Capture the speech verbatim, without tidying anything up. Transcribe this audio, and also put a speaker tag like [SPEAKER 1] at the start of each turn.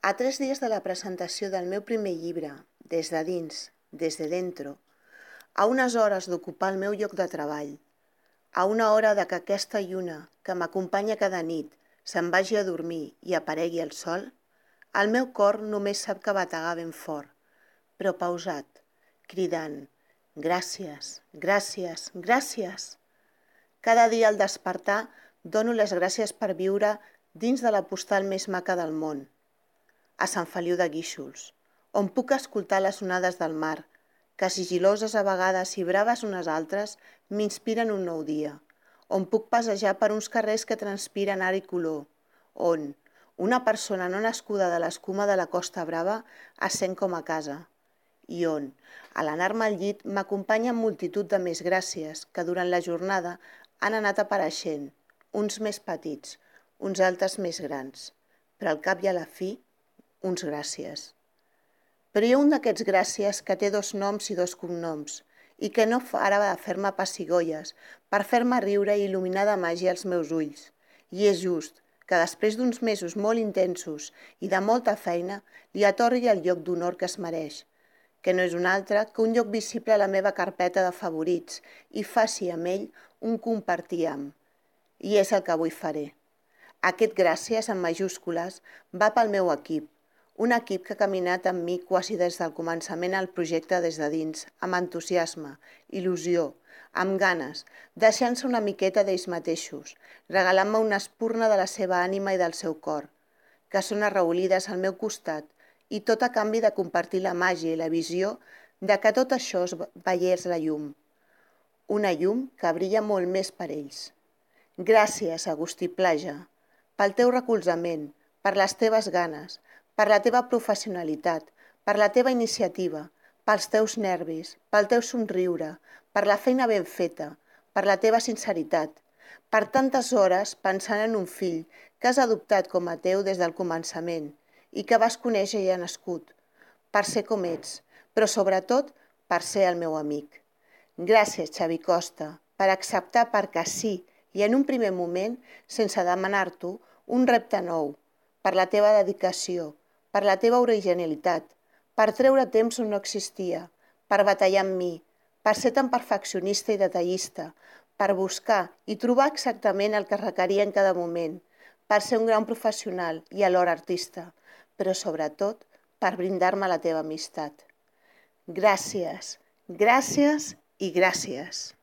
[SPEAKER 1] A tres dies de la presentació del meu primer llibre, Des de dins, des de dentro, a unes hores d'ocupar el meu lloc de treball, a una hora de que aquesta lluna que m'acompanya cada nit se'n vagi a dormir i aparegui el sol, el meu cor només sap que bategar ben fort, però pausat, cridant «Gràcies, gràcies, gràcies». Cada dia al despertar dono les gràcies per viure dins de la postal més maca del món, a Sant Feliu de Guíxols, on puc escoltar les onades del mar, que sigiloses a vegades i braves unes altres m'inspiren un nou dia, on puc passejar per uns carrers que transpiren art i color, on una persona no nascuda de l'escuma de la Costa Brava es sent com a casa, i on, a l'anar-me al llit, m'acompanyen multitud de més gràcies que durant la jornada han anat apareixent, uns més petits, uns altres més grans, però al cap i a la fi, uns gràcies. Però hi ha un d'aquests gràcies que té dos noms i dos cognoms i que no farà de fer-me pessigolles per fer-me riure i il·luminar de màgia els meus ulls. I és just que després d'uns mesos molt intensos i de molta feina li atorgui el lloc d'honor que es mereix, que no és un altre que un lloc visible a la meva carpeta de favorits i faci amb ell un compartir amb. I és el que avui faré. Aquest gràcies en majúscules va pel meu equip, un equip que ha caminat amb mi quasi des del començament al projecte des de dins, amb entusiasme, il·lusió, amb ganes, deixant-se una miqueta d'ells mateixos, regalant-me una espurna de la seva ànima i del seu cor, que són arraolides al meu costat, i tot a canvi de compartir la màgia i la visió de que tot això es veiés la llum. Una llum que brilla molt més per ells. Gràcies, Agustí Plaja, pel teu recolzament, per les teves ganes, per la teva professionalitat, per la teva iniciativa, pels teus nervis, pel teu somriure, per la feina ben feta, per la teva sinceritat, per tantes hores pensant en un fill que has adoptat com a teu des del començament i que vas conèixer ja nascut, per ser com ets, però sobretot per ser el meu amic. Gràcies, Xavi Costa, per acceptar perquè sí i en un primer moment, sense demanar-t'ho, un repte nou, per la teva dedicació, per la teva originalitat, per treure temps on no existia, per batallar amb mi, per ser tan perfeccionista i detallista, per buscar i trobar exactament el que requeria en cada moment, per ser un gran professional i alhora artista, però sobretot per brindar-me la teva amistat. Gràcies, gràcies i gràcies.